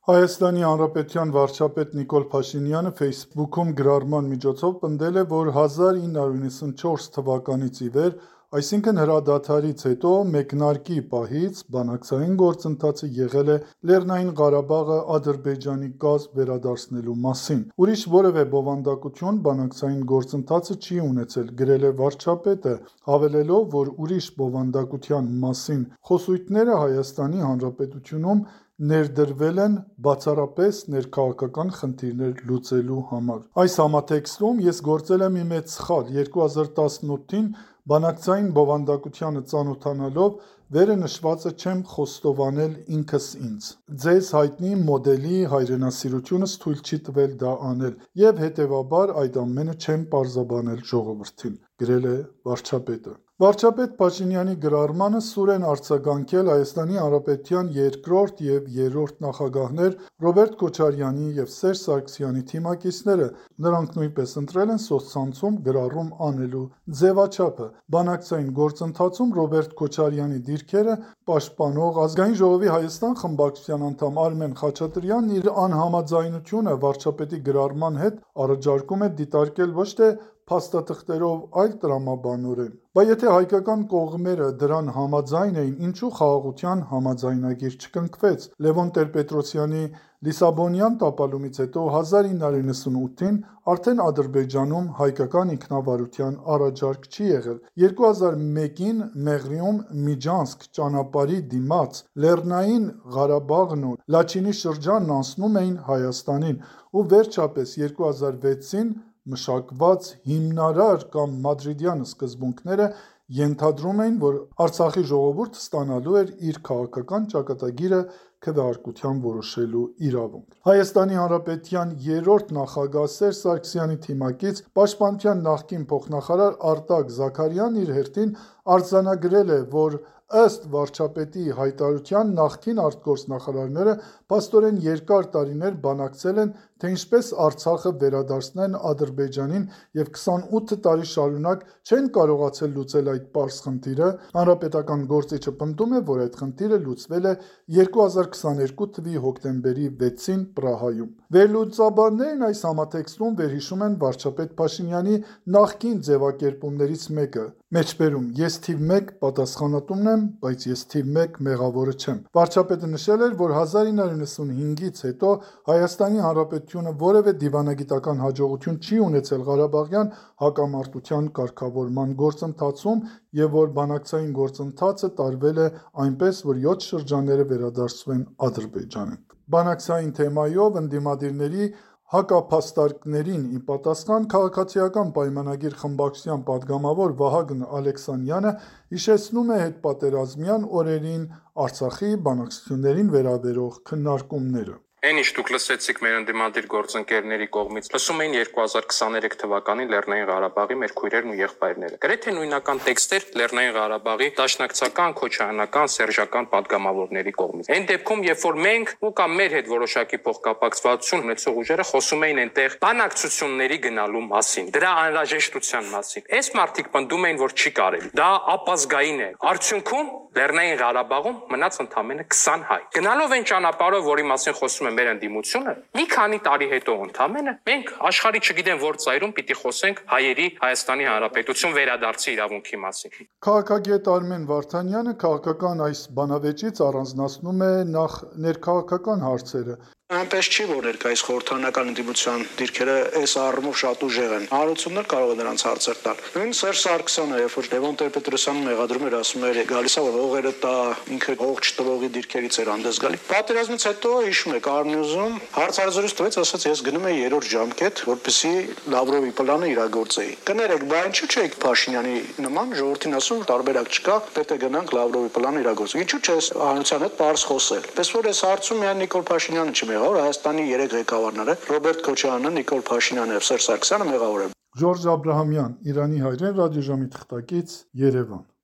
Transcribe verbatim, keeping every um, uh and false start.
Հայաստանի Հանրապետության վարչապետ Նիկոլ Փաշինյանը Facebook-ում գրառման միջոցով պնդել է, որ հազար ինը հարյուր նվաթ թվականից ի վեր, այսինքն հրադադարից հետո մեկնարկի պահից բանակցային գործընթացը եղել է Լեռնային Ղարաբաղը Ադրբեջանի կազմ վերադարձնելու մասին։ Ուրիշ որևէ բովանդակություն բանակցային գործընթացը չի ունեցել, գրել է վարչապետը, հավելելով, որ ուրիշ բովանդակության մասին խոսույթները Հայաստանի Հանրապետությունում ներդրվել են բացառապես ներքաղաքական խնդիրներ լուծելու համար։ Այս համատեքստում ես գործել եմ մի մեծ սխալ, երկու հազար տասնութին բանակցային բովանդակությանը ծանոթանալով վերը նշվածը չեմ խոստովանել ինքս ինձ։ Ձեզ հայտնի մոդելի հայրենասիրությունս թույլ չի տվել դա անել, և հետևաբար այդ ամենը չեմ պարզաբանել ժողովրդին, գրել է վարչապետը։ Վարչապետ Փաշինյանի գրառմանը սուր են արձագանքել Հայաստանի Հանրապետության երկրորդ և երրորդ նախագահներ Ռոբերտ Քոչարյանի և Սերժ Սարգսյանի թիմակիցները, նրանք նույնպես ընտրել են սոցցանցում գրառում անելու ձևաչափը։ Բանակցային գործընթացում Ռոբերտ Քոչարյանի դիրքերը պաշտպանող Ազգային ժողովի Հայաստան խմբակցության անդամ Արմեն Խաչատրյանն իր անհամաձայնությունը վարչապետի գրառման հետ առաջարկում է դիտարկել ոչ թե փաստաթղթերով, այլ տրամաբանորեն։ Բա եթե հայկական կողմերը դրան համաձայն էին, ինչու խաղաղության համաձայնագիր չկնքվեց։ Լևոն Տեր-Պետրոսյանի Լիսաբոնյան տապալումից հետո հազար ինը հարյուր նվաթին արդեն Ադրբեջանում հայկական ինքնավարության առաջարկ չի եղել։ երկու հազար մեկին Մեղրիում Միջանցք ճանապարհի դիմաց Լեռնային Ղարաբաղն ու Լաչինի շրջանն անցնում էին Հայաստանին, ու վերջապես երկու հազար վեցին մշակված հիմնարար կամ մադրիդյան սկզբունքները ենթադրում էին, որ Արցախի ժողովուրդը ստանալու էր իր քաղաքական ճակատագիրը քվեարկությամբ որոշելու իրավունք։ Հայաստանի Հանրապետության երրորդ նախագահ Սերժ Սարգսյանի թիմակից Պաշտպանության նախկին փոխնախարար Արտակ Զաքարյանն իր հերթին արձանագրել է, որ ըստ վարչապետի հայտարարության նախկին արտգործնախարարները փաստորեն երկար տարիներ բանակցել են, թե ինչպես Արցախը վերադարձնեն Ադրբեջանին և քսանութ տարի շարունակ չեն կարողացել լուծել այդ պարզ խնդիրը։ Հանրապետական գործիչը պնդում է, որ այդ խնդիրը լուծվել է երկու հազար քսաներկու թվականի հոկտեմբերի վեցին Պրահայում։ Վերլուծաբաններն այս համատեքստում վերհիշում են վարչապետ Փաշինյանի նախկին ձևակերպումներից մեկը, մեջբերում ես թիվ մեկ պատասխանատունն եմ, բայց ես թիվ մեկ մեղավորը չեմ։ Վարչապետը նշել էր, որ հազար ինը հարյուր նվաթից հետո Հայաստանի Հանրապետությունը որևէ դիվանագիտական հաջողություն չի ունեցել Ղարաբաղյան հակամարտության կարգավորման գործընթացում և որ բանակցային գործընթացը տարվել է այնպես, որ յոթ շրջանները վերադարձվեն Ադրբեջանին։ Բանակցային թեմայով ընդդիմադիրների հակափաստարկներին ի պատասխան Քաղաքացիական պայմանագիր խմբակցության պատգամավոր Վահագն Ալեքսանյանը հիշեցնում է հետպատերազմյան օրերին Արցախի բանակցություններին վերաբերող քննարկումները։ Այն ինչ դուք լսեցիք մեր ընդդիմադիր գործընկերների կողմից, լսում էին երկու հազար քսաներեք թվականին Լեռնային Ղարաբաղի մեր քույրերն ու եղբայրները։ Գրեթե նույնական տեքստեր Լեռնային Ղարաբաղի դաշնակցական, քոչայանական, սերժական պատգամավորների կողմից։ Այն դեպքում, երբ որ մենք ու կամ մեր հետ որոշակի փոխկապակցվածություն ունեցող ուժերը խոսում էին այնտեղ բանակցությունների գնալու մասին, դրա անհրաժեշտության մասին, այս մարդիկ պնդում էին, որ չի կարելի։ Դա ապազգային է։ Արդյունքում Լեռնային Ղարաբաղում մնաց ընդամենը քսան հայ։ Գնալով այն ճանապարհով, որի մասին խոսում է մեր ընդդիմությունը, մի քանի տարի հետո ընդամենը մենք աշխարհի չգիտեմ որ ծայրում պիտի խոսենք հայերի Հայաստանի Հանրապետություն վերադարձի իրավունքի մասին։ Քաղաքագետ Արմեն Վարդանյանը քաղաքական այս բանավեճից առանձնացնում է նախ ներքաղաքական հարցերը։ Այնպես չի, որ ներկայիս խորհրդարանական ընդդիմության դիրքերը այս առումով շատ ուժեղ են։ Հանրությունն կարող է նրանց հարցեր տալ։ Նույն Սերժ Սարգսյանը, երբ որ Լևոն Տեր-Պետրոսյանը մեղադրում էր, ասում էր գալիս է որ հողերը տա, ինքը հող չտվողի դիրքերից էր հանդես գալի։ Պատերազմից հետո հիշում եք Արմնյուզում հարցազրույց տվեց, ասաց ես գնում եմ երրորդ ժամկետ, որպեսզի Լավրովի պլանը իրագործեի։ Կներեք, բա ինչու՞ չէիք Փաշինյանի նման ժողովրդին ասում տարբերակ չկա, պետք է գնանք Լավրովի պլանը իրագործենք։ Ինչու՞ չէ հանրության հետ պարզ խոսել։ Պես որ այս հարցում միայն Նիկոլ Փաշինյանը չի մեղավոր, Հայաստանի երեք ղեկավարները Ռոբերտ Քոչարյանը, Նիկոլ Փաշինյանը եւ Սերժ Սարգսյանը մեղավոր են։ Ժորժ Աբրահամյան, Իրանի հայրեն, ռադիոժամի թղթակից, Երևան։